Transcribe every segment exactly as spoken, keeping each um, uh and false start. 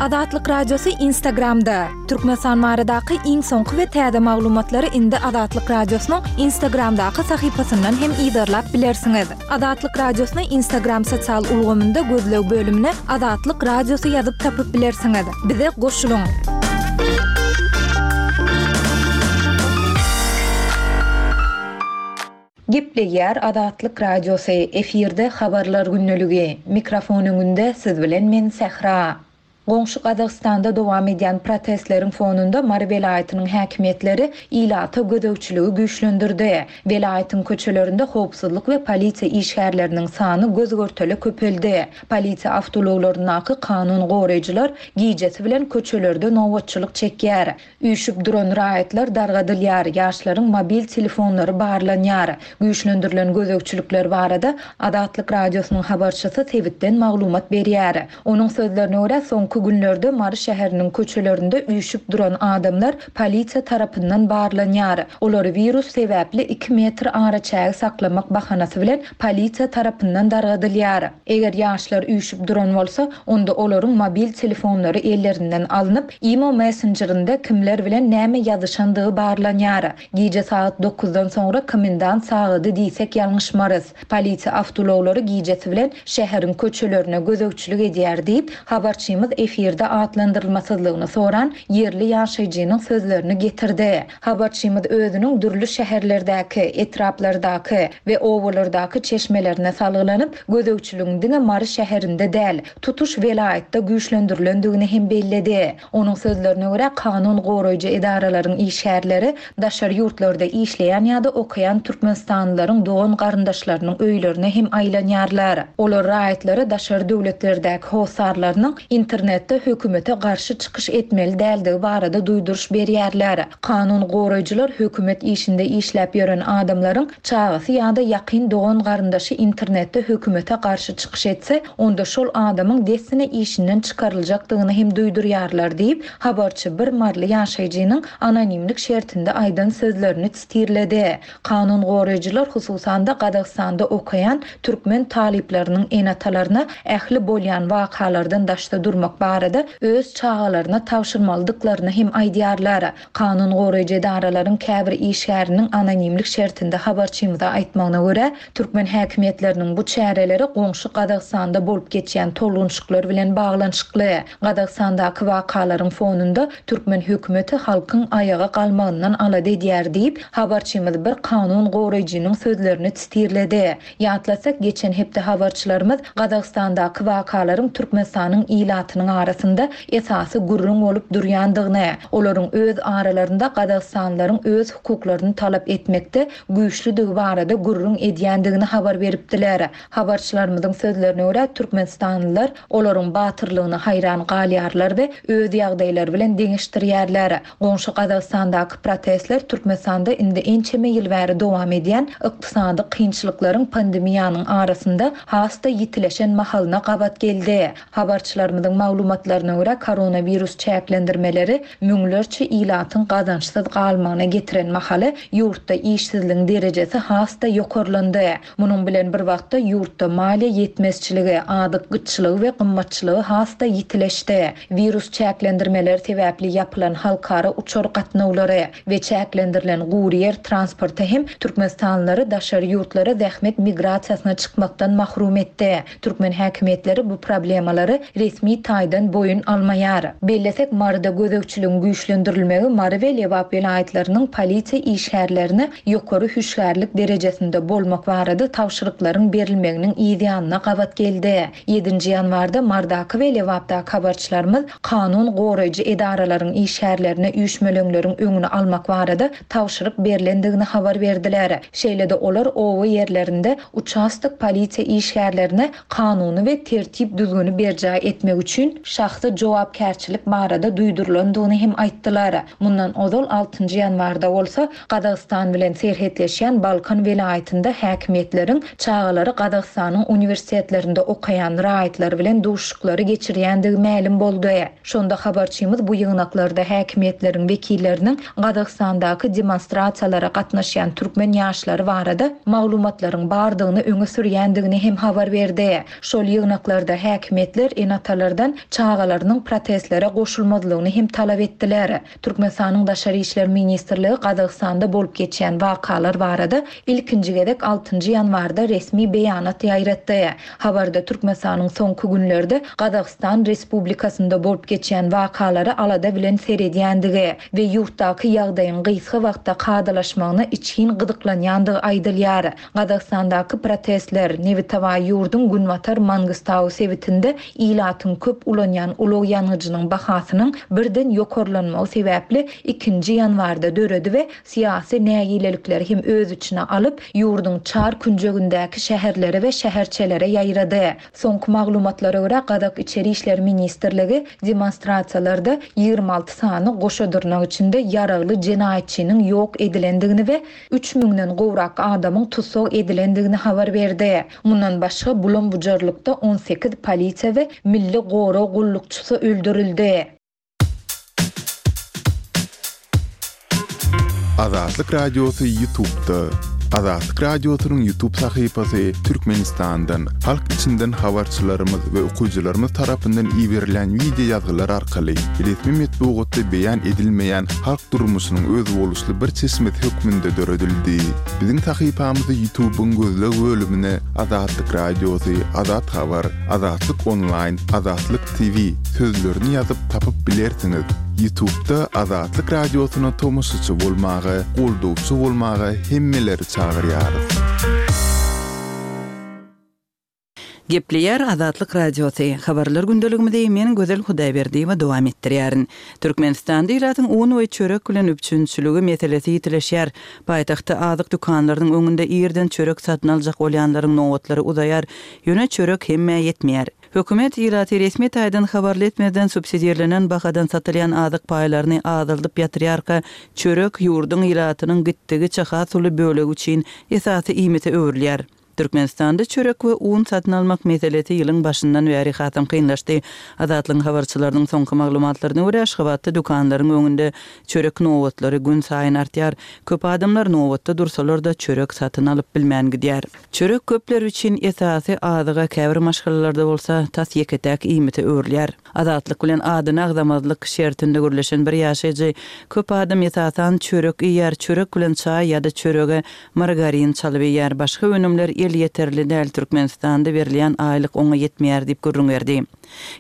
Azatlyk Radiosy Instagramda. Türkmenistan baradaky iň soňky we täze maglumatlary indi Azatlyk Radiosynyň Instagramdaky sahypasyndan hem yzarlap bilersiňiz. Azatlyk Radiosyny Instagram sosial ulgamynda gözleg bölümine Azatlyk Radiosy ýazyp tapyp bilersiňiz. Bize goşulyň. Gepleýär Azatlyk Radiosy, efirde habarlar gündeligi. Mikrofon öňünde siz bilen men Sähra. Goňşy Gazagystanda dowam edýän protestleriň fonunda Mary welaýatynyň häkimiýetleri ilata gözegçiligi güýçlendirdi. Welaýatyň köçelerinde howpsuzlyk we polisiýa işgärleriniň sany göz-görtele köpeldi. Polisiýa awtoulaglaryndaky kanun goraýjylar gijesi bilen köçelerde nobatçylyk çekýär. Üýşüp duran raýatlar dargadylýar, ýaşlaryň mobil telefonlary barlanýar. Güýçlendirilen gözegçilikler barada Azatlyk Radiosynyň habarçysy sebitden maglumat berýär. Onuň sözlerine görä, soňky günlerde Mary şäheriniň köçelerinde üýşüp duran adamlar polisiýa tarapyndan barlanýar. Olary wirus sebäpli iki metr araçägi saklamak bahanasy bilen polisiýa tarapyndan dargadylýar. Eger ýaşlar üýşüp duran bolsa, onda olaryň mobil telefonlary ellerinden alnyp, Imo messengerinde kimler bilen näme ýazyşandygy barlanýar. Gije sagat dokuzdan soňra komendant sagady diýsek ýalňyşmarys. Polisiýa awtoulaglary gijesi bilen şäheriň köçelerine gözegçilik edýär diýip, habarçymyz efirde atlandyrylmasyzlygyny soran ýerli ýaşaýjynyň sözlerini getirdi. Habarçymyz özüniň dürli şäherlerdäki, etraplardaky we obalardaky çeşmelerine salgylanyp, gözegçiligiň diňe Mary şäherinde däl, tutuş welaýatda güýçlendirilendigini hem belledi. Onuň sözlerine görä, kanun goraýjy edaralaryň işgärleri daşary ýurtlarda işleýän ýa-da okaýan türkmenistanlylaryň dogan garyndaşlarynyň öýlerine hem aýlanýarlar. Olar raýatlara daşary döwletlerdäki hossarlarynyň internetde hökümete garşy çykyş etmeli däldigi barada duýduryş berýärler. Kanun goraýjylar hökümet işinde işläp ýören adamlaryň çagasy ýa-da ýakyn dogan garyndaşy internetde hökümete garşy çykyş etse, onda şol adamyň dessine işinden çykaryljakdygyny hem duýdurýarlar diýip, habarçy bir marly ýaşaýjynyň anonimlik şertinde aýdan sözlerini titirledi. Kanun goraýjylar hususan-da Gazagystanda okaýan türkmen talyplarynyň ene-atalaryna ähli bolýan wakalardan daşda durmak barada öz çagalaryna tabşyrmalydyklaryny hem aýdýarlar. Kanun goraýjy edaralaryň käbir işgäriniň anonimlik şertinde habarçymyza aýtmagyna görä, türkmen häkimiýetleriniň bu çäreleri goňşy Gazagystanda bolup geçýän tolgunşyklar bilen baglanyşykly. Gazagystandaky wakalaryň fonunda türkmen hökümeti halkyň aýaga galmagyndan alada edýär diýip, habarçymyz bir kanun goraýjynyň sözlerini titirledi. Ýatlasak, geçen hepde habarçylarymyz Gazagystandaky wakalaryň Türkmenistanyň ilatynyň arasynda esasy gürrüň bolup durýandygyny, olaryň öz aralarynda Gazagystanlylaryň öz hukuklaryny talap etmekde güýçlüdigi barada gürrüň edýändigini habar beripdiler. Habarçylarymyzyň sözlerine görä, türkmenistanlylar olaryň batyrlygyna haýran galýarlar we öz ýagdaýlary bilen deňeşdirýärler. Goňşy Gazagystandaky protestler Türkmenistanda indi ençeme ýyl bäri dowam edýän ykdysady kynçylyklaryň pandemiýanyň arasynda has-da ýitileşen mahalyna gabat geldi. Habarçylarymyzyň maglumatlaryna görä, koronawirus çäklendirmeleri müňlerçe ilatyň gazançsyz galmagyna getiren mahaly ýurtda işsizligiň derejesi has-da ýokarlandy. Munuň bilen bir wagtda ýurtda maliýe ýetmezçiligi, azyk gytçylygy we gymmatçylygy has-da ýitileşdi. Wirus çäklendirmeleri sebäpli ýapylan halkara uçar gatnawlary we çäklendirilen gury ýer transporty hem türkmenistanlylary daşary ýurtlara zähmet migrasiýasyna çykmakdan mahrum etdi. Türkmen häkimiýetleri bu problemalary resmi taýdan boýun almaýar. Bellesek, Maryda gözegçiligiň güýçlendirilmegi Mary we Lebap welaýatlarynyň polisiýa işgärlerine ýokary hüşgärlik derejesinde bolmak barada tabşyryklaryň berilmeginiň ýanyna gabat geldi. Ýedinji ýanwarda Mardaky we Lebapdaky habarçylarymyz kanun goraýjy edaralaryň işgärlerine üýşmeleňleriň öňüni almak barada tabşyryk berlendigini habar berdiler. Şeýle-de olar oba ýerlerinde uçastok polisiýa işgärlerine kanuny we tertip düzgüni berjaý etmek üçin şahsy jogapkärçilik barada duýdurylandygyny hem aýtdylar. Mundan ozal altynjy ýanwarda bolsa Gazagystan bilen serhetleşýän Balkan welaýatynda häkimiýetleriň çagalary Gazagystanyň uniwersitetlerinde okaýan raýatlar bilen duşuşyklary geçirýändigi mälim boldy. Şonda habarçymyz bu ýygnaklarda häkimiýetleriň wekilleriniň Gazagystandaky demonstrasiýalara gatnaşýan türkmen ýaşlary barada maglumatlaryň bardygyny öňe sürýändigini hem habar berdi. Şol ýygnaklarda häkimiýetler ene-atalardan çagalarynyň protestlere goşulmazlygyny hem talap etdiler. Türkmenistanyň Daşary işler ministrligi Gazagystanda bolup geçýän wakalar barada ilkinji gezek altynjy ýanwarda resmi beýanat ýaýratdy. Habarda Türkmenistanyň soňky günlerde Gazagystan Respublikasynda bolup geçýän wakalara alada bilen seredýändigi we ýurtdaky ýagdaýyň gysga wagtda kadalaşmagyna içgin gyzyklanýandygy aýdylýar. Gazagystandaky protestler nebitawa ýurduň Günbatar Mangistau sebitinde ilatyň köp ulanýan ulag ýangyjynyň bahasynyň birden ýokarlanmagy sebäpli ikinji ýanwarda döredi we syýasy nägilelikleri hem öz içine alyp, ýurduň çar künjegindäki şäherlere we şäherçelere ýaýrady. Soňky maglumatlara görä Gazak İçeri İşler Ministrligi demonstrasiýalarda ýigrimi alty sany goşa dyrnak içinde ýaragly jenaýatçynyň ýok edilendigini we üç müňden gowrak adamyň tussag edilendigini habar berdi. Mundan başga bulam-bujarlykda on sekiz polisiýa we milli gorag gullukçysy öldürildi. Azatlyk Radiosy YouTube'da. Azatlyk Radiosynyň YouTube sahypasy Türkmenistandan, halk içinden habarçylarymyz we okyjylarymyz tarapyndan iberilen video ýazgylar arkaly resmi metbugatda beýan edilmeýän halk durmuşynyň özboluşly bir çeşmesi hökmünde döredildi. Biziň sahypamyzy YouTube'yň gözleg bölümine Azatlyk Radiosy, Azat Habar, Azatlyk Online, Azatlyk T V sözlerini ýazyp tapyp bilersiňiz. YouTube'da Azatlyk Radiosyna tomaşaçy bolmaga, goldawçy bolmaga hemmeleri çagyrýarys. Gepleýär Azatlyk Radiosy. Habarlar gündeligimizi men Gözel Hudaýberdiýewa dowam etdirýärin. Türkmenistanda ilatyň un we çörek bilen üpjünçiligi meselesi ýitileşýär. Paýtagtda azyk dükanlarynyň öňünde irden çörek satyn aljak bolýanlaryň nobatlary uzaýar. Ýöne çörek hemmä ýetmeýär. Hökümet ilaty resmi taýdan habarly etmeden subsidirlenen bahadan satylýan azyk paýlaryny azaldyp ýatyrýarka, çörek ýurduň ilatynyň gitdigiçe has uly bölegi üçin esasy iýmite öwrülýär. Türkmenistanda çörek we un satyn almak meselesi ýylyň başyndan bäri hasam kynlaşdy. Azatlygyň habarçylarynyň soňky maglumatlaryna görä Aşgabatda dükanlaryň öňünde çörek nobatlary gün saýyn artýar. Köp adamlar nobatda dursalar da çörek satyn alyp bilmän gidýär. Çörek köpler üçin esasy azyga käbir maşgalalarda bolsa tas ýeke-täk iýmite öwrülýär. Azatlyk bilen adyny agzamazlyk şertinde gürleşen bir ýaşaýjy köp adam esasan çörek iýer, çörek bilen çaý ýa-da çörege margarin çalyp iýer. Başga önümler el ýeterli däl Türkmenistanda berilýän aýlyk oňa ýetmeýär diýip gürrüň berdi.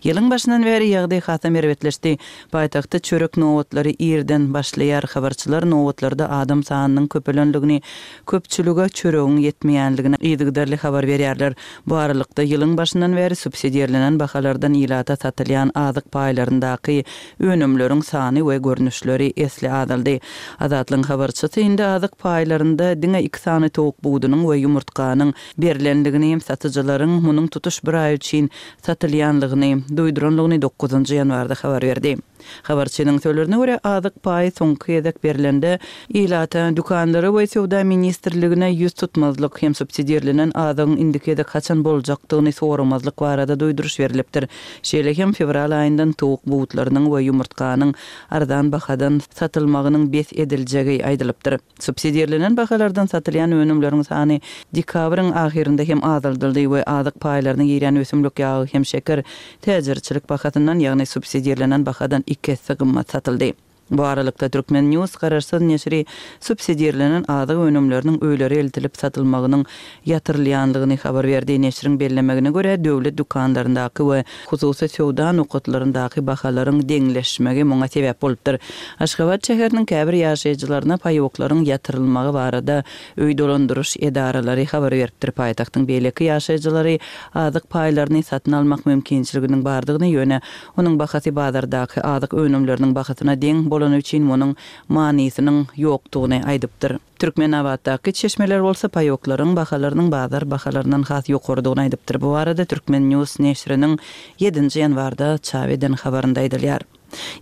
Ýylyň başyndan bäri ýagdaý hasam erbetleşdi. Paýtagtda çörek nobatlary irden başlaýar. Habarçylar nobatlarda adam sanynyň köpelenligini, köpçülige çöregiň ýetmeýänligini yzygiderli habar berýärler. Bu aralykda ýylyň başyndan bäri subsidirlenen bahalardan ilata satylýan azyk paýlaryndaky önümleriň sany we görnüşleri esli azaldy. Azatlygyň habarçysy indi azyk paýlarynda diňe iki sany towuk budunyň we ýumurtganyň berlenligini, satyjylaryň munuň tutuş bir aý üçin satylýanlygyny duýduranlygyny dokuzynjy ýanwarda habar berdi. Habarçynyň sözlerine görä azyk paýy soňky gezek berlende ilata, dükanlara we söwda ministrligine ýüz tutmazlyk hem subsidirlenen azygyň indiki gezek haçan boljakdygyny soramazlyk barada duýduryş berilipdir. Şeýle hem fewral aýyndan towuk butlarynyň we ýumurtganyň arzan bahadan satylmagynyň bes ediljegi aýdylypdyr. Subsidirlenen bahalardan satylýan önümleriň sany dekabryň ahyrynda hem azaldyldy we azyk paýlaryna girýän ösümlik ýagy hem şeker täjirçilik bahasyndan, ýagny subsidirlenen bahadan iki esse gymmat satyldy. Bu aralykda Türkmen News garaşsyz neşiri subsidirlenen azyk önümleriniň öýlere eltilip satylmagynyň ýatyrylýanlygyny habar berdi. Neşiriň bellemegine görä döwlet dükanlaryndaky we hususy söwda nokatlaryndaky bahalaryň deňleşmegi muňa sebäp bolupdyr. Aşgabat şäheriniň käbir ýaşaýjylaryna paýoklaryň ýatyrylmagy barada öý dolandyryş edaralary habar beripdir. Paýtagtyň beýleki ýaşaýjylary azyk paýlaryny satyn almak mümkinçiliginiň bardygyny, ýöne onuň bahasy bazardaky azyk önümleriniň bahasyna deň bolany üçin munuň manysynyň ýokdugyny aýdypdyr. Türkmenabatdaky çeşmeler bolsa paýoklaryň bahalarynyň bazar bahalaryndan has ýokarydygyny aýdypdyr. Bu barada Türkmen News neşiriniň ýedinji ýanwarda çap eden habarynda aýdylýar.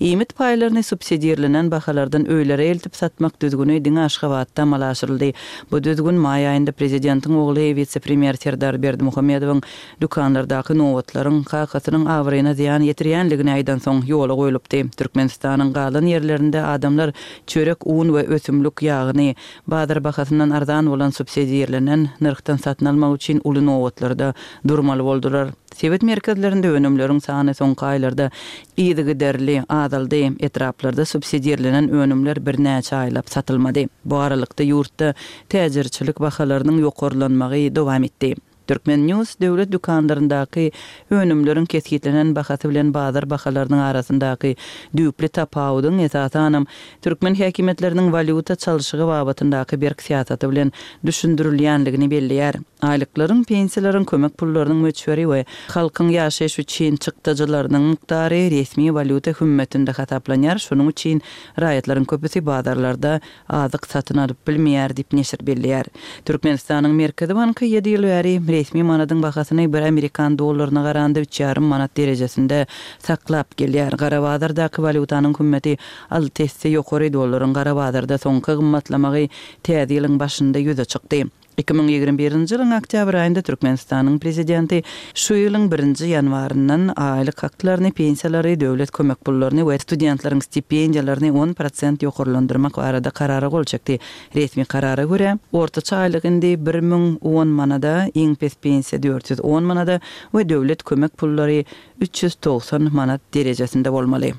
Iýmit paýlaryny subsidirlenen bahalardan öýlere eltip satmak düzgüni diňe Aşgabatda amala aşyryldy. Bu düzgün maý aýynda prezidentiň ogly wise-premýer Serdar Berdimuhamedowyň dükanlardaky nobatlaryň kakasynyň abraýyna zyýan ýetirýänligini aýdan soň ýola goýlupdy. Türkmenistanyň galan ýerlerinde adamlar çörek, un we ösümlik ýagyny bazar bahasyndan arzan bolan subsidirlenen nyrhdan satyn almak üçin uly nobatlarda durmaly boldular. Sebit merkezlerinde önümleriň sany soňky aýlarda yzygiderli azaldy. Etraplarda subsidirlenen önümler birnäçe aýlap satylmady. Bu aralykda ýurtda täjirçilik bahalarynyň ýokarlanmagy dowam etdi. Turkmen News döwlet dükanlaryndaky önümleriň kesgitlenen bahasy bilen bazar bahalarynyň arasyndaky düýpli tapawudyň esasanam türkmen häkimiýetleriniň walýuta çalşygy babatyndaky berk syýasaty bilen düşündirilýänligini belleýär. Aýlyklaryň, pensiýalaryň, kömek pullarynyň möçberi we halkyň ýaşaýyş üçin çykdajylarynyň mukdary resmi walýuta hümmetinde hasaplanýar. Şonuň üçin raýatlaryň köpüsi bazarlarda azyk satyn alyp bilmeýär diýip neşir belleýär. Türkmenistanyň Merkezi banky ýedi ýyl bäri resmi manadyň bahasyny bir amerikan dollaryna garanda üç ýarym manat derejesinde saklap gelýär. Gara bazardaky walýutanyň hümmeti alty esse ýokary, dollaryň gara bazarda soňky gymmatlamagy täze ýylyň başynda ýüze çykdy. Iki müň ýigrimi birinji ýylyň oktýabr aýynda Türkmenistanyň prezidenti şu ýylyň birinji ýanwaryndan aýlyk haklaryny, pensiýalary, döwlet kömek pullaryny we studentleriň stipendiýalaryny on prosent ýokarlandyrmak barada karara gol çekdi. Resmi karara görä, ortaça aýlyk indi bir müň on manada, iň pes pensiýa dört ýüz on manada we döwlet kömek pullary üç ýüz togsan manat derejesinde bolmaly.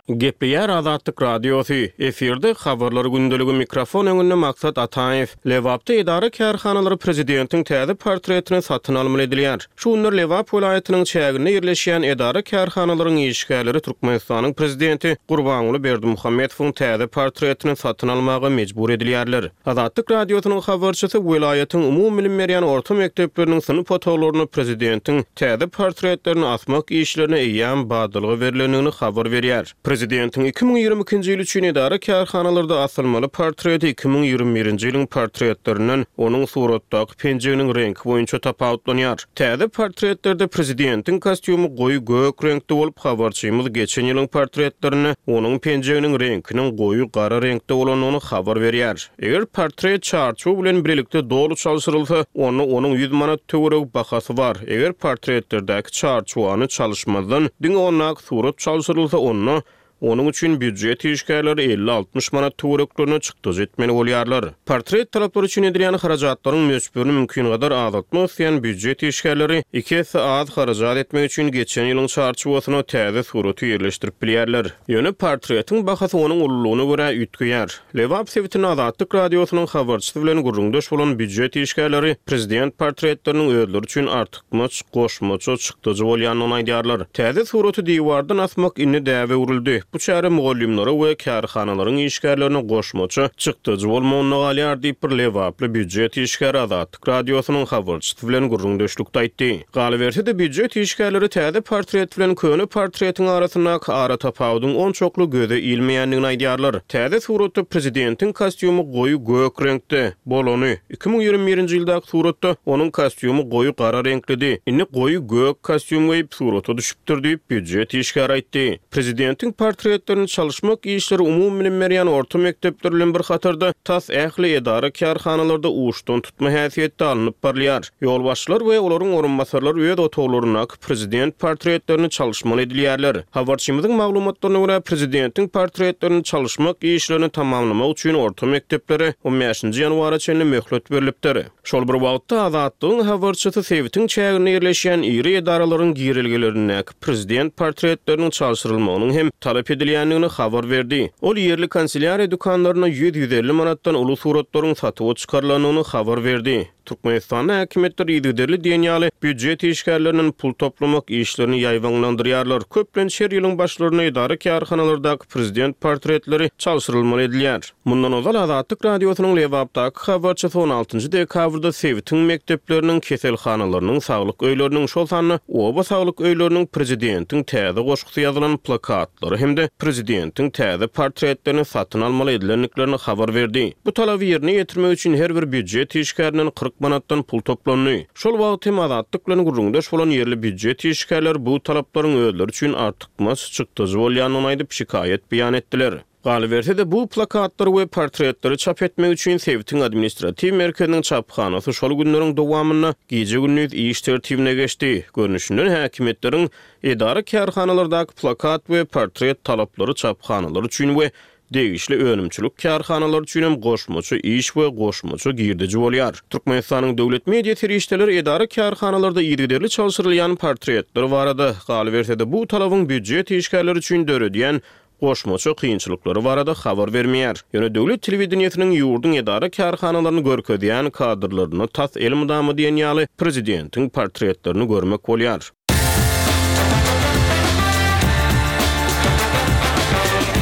Gepleýär Azatlyk Radiosy. Efirde habarlar gündeligi, mikrofon öňünde Maksat Ataýew. Lebapda edara kärhanalary prezidentiň täze portretini satyn almaly edilýär. Şu günler Lebap welaýatynyň çäginde ýerleşýän edara kärhanalaryň işgärleri Türkmenistanyň prezidenti Gurbanguly Berdimuhamedowyň täze portretini satyn almaga mejbur edilýärler. Azatlyk Radiosynyň habarçysy welaýatyň umumy bilim berýän orta mekdepleriniň synp otaglaryna prezidentiň täze portretlerini asmak işlerine eýýäm badalga berlendigini habar berýär. Prezidentiň iki müň ýigrimi ikinji ýyl üçin edara kärhanalarda asylmaly portreti iki müň ýigrimi birinji ýylyň portretlerinden onuň suratdaky penjeginiň reňki boýunça tapawutlanýar. Täze portretlerde prezidentiň kostýumy goýy gök reňkde bolup, habarçymyz geçen ýylyň portretlerinde onuň penjeginiň reňkiniň goýy gara reňkde bolandygyny habar berýär. Eger portret çarçuw bilen birlikde doly çalşyrylsa, onda onuň ýüz manat töweregi bahasy bar. Eger portretlerdäki çarçuwany çalyşmazdan diňe ondaky surat çalşyrylsa, onda onuň üçin býujet işgärleri elli altmyş manat töwereklerine çykdajy etmeli bolýarlar. Portret talaplary üçin edilýän harajatlaryň möçberini mümkin gadar azaltmak isleýän býujet işgärleri iki esse az harajat etmek üçin geçen ýylyň çarçuwasyna täze suraty ýerleşdirip bilýärler. Ýöne portretiň bahasy onuň ululygyna görä üýtgeýär. Lebap sebitinde Azatlyk Radiosynyň habarçysy bilen gürrüňdeş bolan býujet işgärleri prezident portretleriniň özleri üçin artykmaç goşmaça çykdajy bolýandygyny aýdýarlar. Täze suraty diwardan asmak indi däbe öwrüldi. Bu çäre mugallymlara we kärhanalaryň işgärlerine goşmaça çykdajy bolmagyna galýar diýip bir Lebaply býujet işgäri Azatlyk Radiosynyň habarçysy bilen gürrüňdeşlikde aýtdy. Galyberse-de býujet işgärleri täze portret bilen köne portretiň arasyndaky ara tapawudyň onçakly göze ilmeýändigini aýdýarlar. Täze suratda prezidentiň kostýumy goýy gök reňkde bolany, iki müň ýigrimi birinji ýyldaky suratda onuň kostýumy goýy gara reňklidi. Indi goýy gök kostýum geýip surata düşüpdir diýip býujet işgäri aýtdy. Prezidentiň portretlerini çalyşmak işleri umumy bilim berýän orta mekdepler bilen bir hatarda tas ähli edara kärhanalarda uçdan tutma häsiýetde alnyp barylýar. Ýolbaşçylar we olaryň orunbasarlary öz otaglaryndaky prezident portretlerini çalyşmaly edilýärler. Habarçymyzyň maglumatlaryna görä prezidentiň portretlerini çalyşmak işlerini tamamlamak üçin orta mekdeplere on bäşinji ýanwara çenli möhlet berlipdir. Şol bir wagtda Azatlygyň habarçysy sebitiň çäginde ýerleşýän iri edaralaryň girelgelerindäki prezident portretleriniň çalşyrylmagynyň hem talap edilýändigini habar berdi. Ol ýerli kanselýariýa dükanlaryna ýüz-ýüz elli manatdan uly suratlaryň satuwa çykarylandygyny habar berdi. Türkmenistanda häkimiýetler yzygiderli diýen ýaly býujet işgärlerinden pul toplamak işlerini ýaýbaňlandyrýarlar. Köplenç her ýylyň başlarynda edara kärhanalardaky prezident portretleri çalşyrylmaly edilýär. Mundan ozal Azatlyk Radiosynyň Lebapdaky habarçysy on altynjy dekabrda sebitiň mekdepleriniň, keselhanalarynyň, saglyk öýleriniň, şol sanda oba saglyk öýleriniň prezidentiň täze goşgusy ýazylan plakatlary hem-de prezidentiň täze portretlerini satyn almaly edilendiklerini habar berdi. Bu talaby ýerine ýetirmek üçin her bir býujet işgärinden kyrk manatdan pul toplandy. Şol wagt hem Azatlyk bilen gürrüňdeş bolan ýerli býujet işgärleri bu talaplaryň özleri üçin artykmaç çykdajy bolýandygyny aýdyp şikaýat beýan etdiler. Galyberse-de bu plakatlary we portretleri çap etmek üçin sebitiň administratiw merkeziniň çaphanasy şol günleriň dowamynda gije-gündiz iş tertibine geçdi. Görnüşinden häkimiýetleriň edara kärhanalardaky plakat we portret talaplary çaphanalar üçin we degişli önümçilik kärhanalary üçin hem goşmaça iş we goşmaça girdeji bolýar. Türkmenistanyň döwlet media serişdeleri edara-kärhanalarda yzygiderli çalşyrylýan portretler barada, galyberse-de bu talabyň býujet işgärleri üçin döredýän goşmaça kynçylyklary barada habar bermeýär. Ýöne döwlet telewideniýesiniň ýurduň edara-kärhanalaryny görkezýän kadrlarynda tas elmydama diýen ýaly prezidentiň portretlerini görmek bolýar.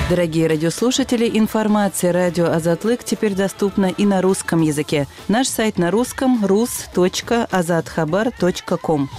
Дорогие радиослушатели, информация радио Азатлык теперь доступна и на русском языке. Наш сайт на русском rus точка azathabar точка ком.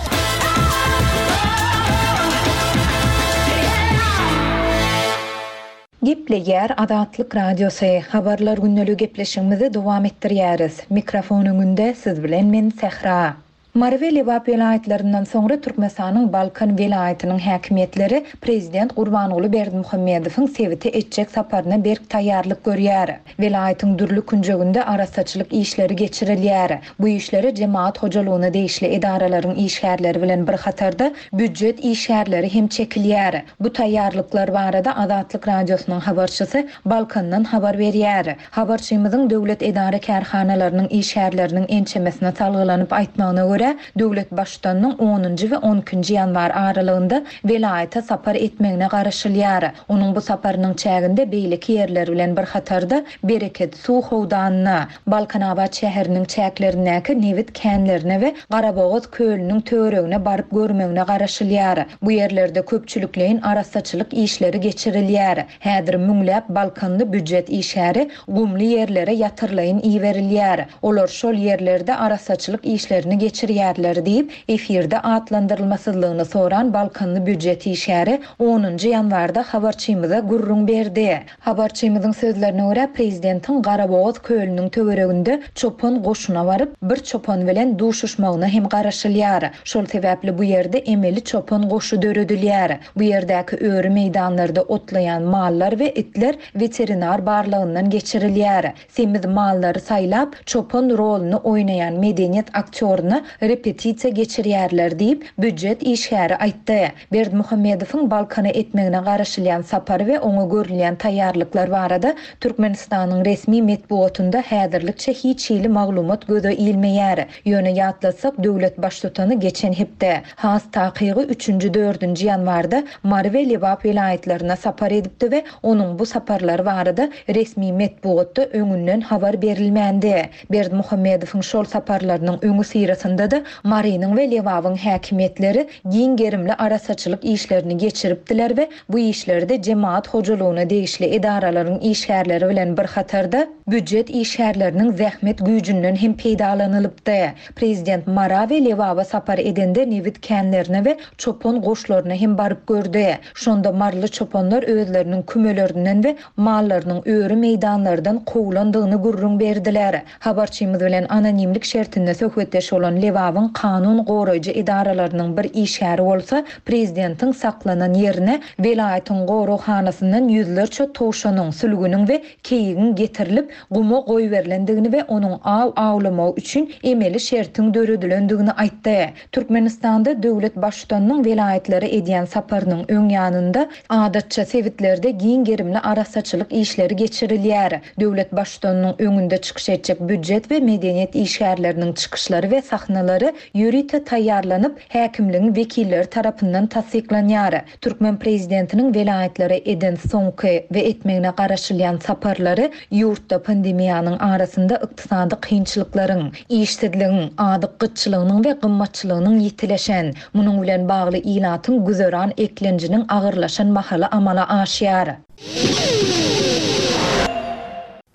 Gepleýär Azatlyk Radiosy. Habarlar gündeligi gepleşigimizi dowam etdirýäris. Mikrofon öňünde siz bilen men Sähra. Mary we Lebap welaýatlaryndan soňra Türkmenistanyň Balkan welaýatynyň häkimiýetleri Prezident Gurbanguly Berdimuhamedowyň sebite etjek saparyna berk taýýarlyk görýär. Welaýatyň dürli künjeginde arassaçylyk işleri geçirilýär. Bu işlere jemaat hojalygyna degişli edaralaryň işgärleri bilen bir hatarda býujet işgärleri hem çekilýär. Bu taýýarlyklar barada Azatlyk Radiosynyň habarçysy Balkandan habar berýär. Habarçymyzyň döwlet edara kärhanalarynyň işgärleriniň ençemesine salgylanyp aýtmagyna görä, döwlet baştutanynyň onunjy we on ikinji ýanwar aralygynda welaýata sapar etmegine garaşylýar. Onuň bu saparynyň çäginde beýleki ýerler bilen bir hatarda Bereket suw howdanyna, Balkanabat şäheriniň çäklerindäki nebit känlerine we Garabogaz kölüniň töweregine baryp görmegine garaşylýar. Bu ýerlerde köpçülikleýin arassaçylyk işleri geçirilýär. Häzir müňläp Balkanly býujet işgäri gumly ýerlere ýatyrlaýyn iberilýär. Olar şol ýerlerde arassaçylyk işlerini geçirýärler diýip, efirde atlandyrylmasyzlygyny soran Balkanly býujet işgäri onunjy ýanwarda habarçymyza gürrüň berdi. Habarçymyzyň sözlerine görä, prezidentiň Garabogaz kölüniň töwereginde çopan goşuna baryp, bir çopan bilen duşuşmagyna hem garaşylýar. Şol sebäpli bu ýerde emeli çopan goşy döredilýär. Bu ýerdäki öri meýdanlarda otlaýan mallar we itler weterinar barlagyndan geçirilýär. Semiz mallary saýlap, çopan roluny oýnaýan medeniýet aktýoryna repetisiýa geçirýärler diýip, býujet işgäri aýtdy. Berdimuhamedowyň Balkana etmegine garaşylýan sapary we oňa görülýän taýýarlyklar barada Türkmenistanyň resmi metbugatynda häzirlikçe hiç hili maglumat göze ilmeýär. Ýöne ýatlatsak, döwlet baştutany geçen hepde, has takygy üçünji dördünji ýanwarda Mary we Lebap welaýatlaryna sapar edipdi we onuň bu saparlary barada resmi metbugatda öňünden habar berilmändi. Berdimuhamedowyň şol saparlarynyň öňi syrasynda da Marynyň we Lebabyň häkimiýetleri giň gerimli arassaçylyk işlerini geçiripdiler we bu işlerde jemaat hojalygyna degişli edaralaryň işgärleri bilen bir hatarda býujet işgärleriniň zähmet güýjünden hem peýdalanylypdy. Prezident Mara we Lebaba sapar edende nebit känlerine we çopan goşlaryna hem baryp gördi. Şonda marly çopanlar özleriniň kümelerinden we mallarynyň öri meýdanlardan kowlandygyny gürrüň berdiler. Habarçymyz bilen anonimlik şertinde söhbetdeş bolan Lebabyň kanun goraýjy edaralarynyň bir işgäri bolsa, prezidentiň saklanan ýerine welaýatyň goraghanasyndan ýüzlerçe towşanyň, sülgüniň we keýigiň getirilip guma goýberilendigini we onuň aw awlamagy üçin emeli şertiň döredilendigini aýtdy. Türkmenistanda döwlet baştutanynyň welaýatlara edýän saparynyň öň ýanynda adatça sebitlerde giň gerimli arassaçylyk işleri geçirilýär. Döwlet baştutanynyň öňünde çykyş etjek býujet we medeniýet işgärleriniň çykyşlary we sahnalary ýörite taýýarlanyp, häkimligiň wekilleri tarapyndan tassyklanýar. Türkmen prezidentiniň welaýatlara eden soňky we etmegine garaşylýan saparlary ýurtda pandemiýanyň arasynda ykdysady kynçylyklaryň, işsizligiň, azyk gytçylygynyň we gymmatçylygynyň ýitileşen, munuň bilen bagly ilatyň güzeran eklenjiniň agyrlaşan mahaly amala aşýar.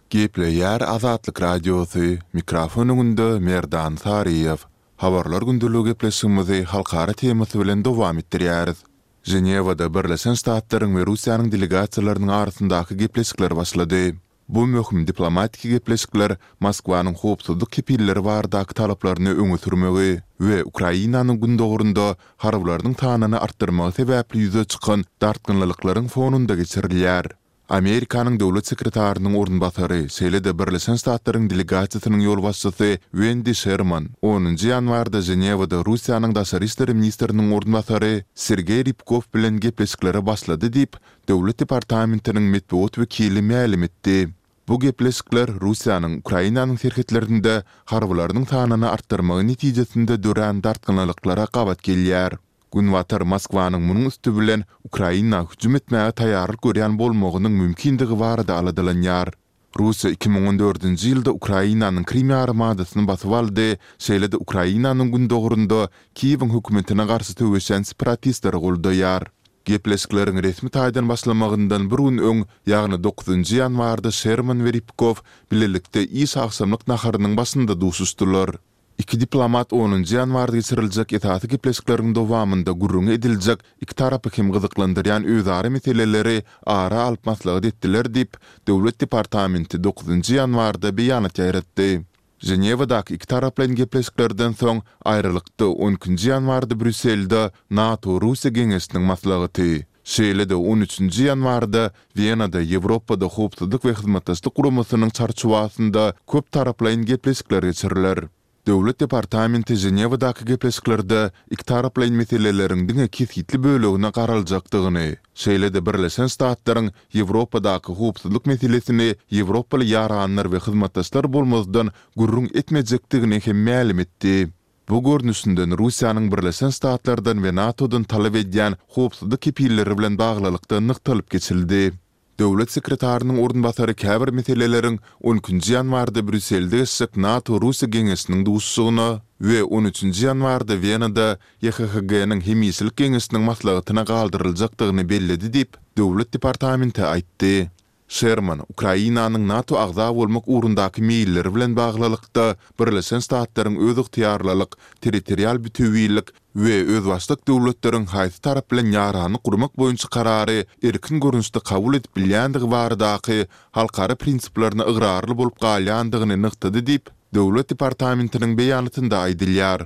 Gepleýär Azatlyk Radiosy, mikrofon öňünde Merdan Saryýew. Habarlar gündeligi gepleşigimizi halkara temasy bilen dowam etdirýäris. Ženewada Birleşen Ştatlaryň we Russiýanyň delegasiýalarynyň arasyndaky gepleşikler başlady. Bu möhüm diplomatik gepleşikler Moskwanyň howpsuzlyk kepilleri baradaky talaplaryny öňe sürmegi we Ukrainanyň gündogurynda harbylarynyň sanyny artdyrmagy sebäpli ýüze çykan dartgynlyklaryň fonunda geçirilýär. Amerikanyň döwlet sekretarynyň orunbasary, şeýle-de Birleşen Ştatlaryň delegasiýasynyň ýolbaşçysy Wendi Şerman onunjy ýanwarda Ženewada Russiýanyň daşary işler ministriniň orunbasary Sergeý Rýabkow bilen gepleşiklere başlady diýip, Döwlet departamentiniň metbugat wekili mälim etdi. Bu gepleşikler Russiýanyň Ukrainanyň serhetlerinde harbylarynyň sanyny artdyrmagy netijesinde dörän dartgynlylyklara gabat gelýär. Günbatar Moskwanyň munuň üsti bilen Ukraina hüjüm etmäge taýýarlyk görýän bolmagynyň mümkindigi barada aladalanýar. Russiýa iki müň on dördünji ýylda Ukrainanyň Krym ýarymadasyny basyp aldy, şeýle-de Ukrainanyň gündogarynda Kiýewiň hökümetine garşy söweşýän separatistleri goldaýar. Gepleşikleriň resmi taýdan başlamagyndan bir gün öň, ýagny dokuzynjy ýanwarda Şerman we Rýabkow bilelikde iş agşamlyk naharynyň başynda duşuşdylar. Iki diplomat onunjy ýanwarda geçiriljek esasy gepleşikleriň dowamynda gürrüňi ediljek iki tarapy hem gyzyklandyrýan özara meseleleri ara alyp maslahat etdiler diýip, Döwlet departamenti dokuzynjy ýanwarda beýanat ýaýratdy. Ženewadaky ikitaraplaýyn gepleşiklerden soň, aýralykda on ikinji ýanwarda Brýusselde NATO-Russiýa geňeşiniň maslahaty, şeýle-de on üçünji ýanwarda Wenada Ýewropada Howpsuzlyk we Hyzmatdaşlyk Guramasynyň çarçuwasynda köptaraplaýyn gepleşikler geçiriler. Döwlet departamenti Ženewadaky gepleşiklerde ikitaraplaýyn meseleleriň diňe kesgitli bölegine garaljakdygyny, şeýle-de Birleşen Ştatlaryň Ýewropadaky howpsuzlyk meselesini ýewropaly ýaranlar we hyzmatdaşlar bolmazdan gürrüň etmejekdigini hem mälim etdi. Bu görnüşinden Russiýanyň Birleşen Ştatlardan we NATO-dan talap edýän howpsuzlyk kepilleri bilen baglylykda nygtalyp geçildi. Döwlet sekretarynyň orunbasary käbir meseleleriň on ikinji ýanwarda Brýusselde geçjek NATO-Russiýa geňeşiniň duşuşygyna we on üçünji ýanwarda Wenada YHHG-niň hemişelik geňeşiniň maslahatyna galdyryljakdygyny belledi diýip, Döwlet departamenti aýtdy. Şerman, Ukrainanyň NATO agza bolmak ugrundaky meýilleri bilen baglylykda, Birleşen Ştatlaryň özygtyýarlylyk, territorial bütewilik we özbaşdak döwletleriň haýsy tarap bilen ýaranlyk gurmak boýunça karary erkin görnüşde kabul edip bilýändigi baradaky halkara prinsiplerine ygrarly bolup galýandygyny nygtady diýip, Döwlet departamentiniň beýanatynda aýdylýar.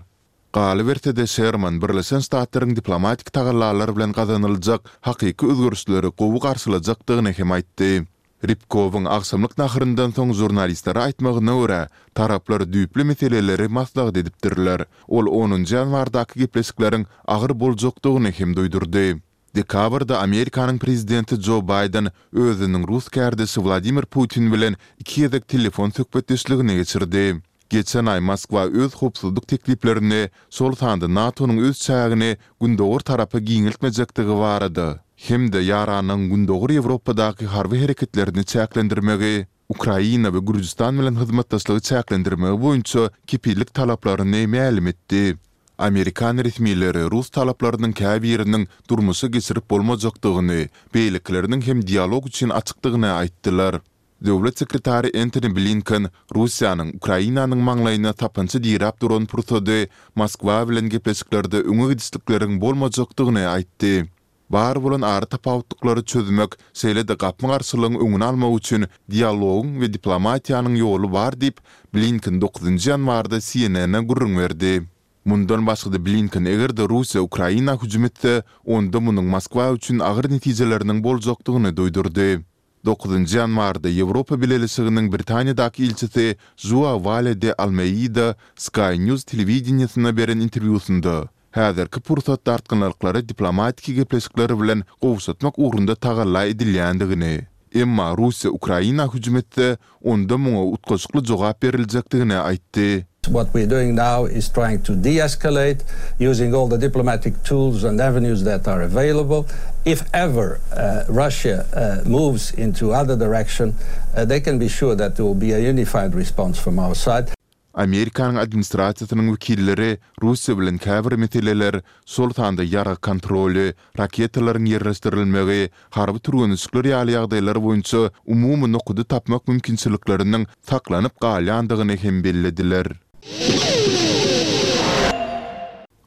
Galyberse-de, Şerman Birleşen Ştatlaryň diplomatik tagallalar bilen gazanyljak hakyky özgerişleri gowy garşylajakdygyny hem aýtdy. Rýabkowyň agşamlyk naharyndan soň žurnalistlere aýtmagyna görä, taraplar düýpli meseleleri maslahat edipdirler. Ol onunjy ýanwardaky gepleşikleriň agyr boljakdygyny hem duýdurdy. Dekabrda Amerikanyň prezidenti Jo Baýden özüniň rus kärdeşi Wladimir Putin bilen iki gezek telefon söhbetdeşligini geçirdi. Geçen aý Moskwa öz howpsuzlyk tekliplerini, şol sanda NATO-nyň öz çägini gündogar tarapa giňeltmejekdigi barada hem-de ýaranyň Gündogar Ýewropadaky harby hereketlerini çäklendirmegi, Ukraina we Gürjüstan bilen hyzmatdaşlygy çäklendirmegi boýunça kepillik talaplaryny mälim etdi. Amerikan resmileri rus talaplarynyň käbiriniň durmuşa geçirip bolmajakdygyny, beýlekileriniň hem dialog üçin açykdygyny aýtdylar. Döwlet sekretary Entoni Blinken Russiýanyň Ukrainanyň maňlaýyna sapança diräp duran pursady Moskwa bilen gepleşiklerde öňe gidişlikleriň bolmajakdygyny aýtdy. Bar bolan aratapawutlyklary çözmek, şeýle-de gapma-garşylygyň öňüni almak üçin dialogyň we diplomatiýanyň ýoly bar diýip, Blinken dokuzynjy ýanwarda C N N-e gürrüň berdi. Mundan başga-da Blinken eger-de Russiýa Ukraina hüjüm etse, onda munuň Moskwa üçin agyr netijeleriniň boljakdygyny duýdurdy. Dokuzynjy ýanwarda Ýewropa Bileleşiginiň Britaniýadaky ilçisi Žuao Wale de Almeida Sky News telewideniýesine beren interwýusynda häzirki pursat dartgynlyklary diplomatiki gepleşikler bilen gowşatmak ugrunda tagalla edilýändigini, emma Russiýa Ukraina hüjüm etse, onda muňa utgaşykly jogap beriljekdigini aýtdy. What we're doing now is trying to de-escalate using all the diplomatic tools and avenues that are available. If ever uh, Russia uh, moves into other direction, uh, they can be sure that there will be a unified response from our side. Amerikanyň administrasiýasynyň wekilleri Russiýa bilen käbir meseleler, şol sanda ýarag kontroly, raketalaryň ýerleşdirilmegi, harby türgenleşikler ýaly ýagdaýlar boýunça umumy nokady tapmak mümkinçilikleriniň saklanyp galýandygyny hem bellediler.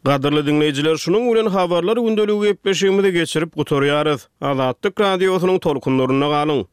Gadyrly diňleýjiler, şunuň bilen habarlar gündeligi gepleşigimizi geçirip gutarýarys. Azatlyk radiosynyň tolkunlarynda galyň.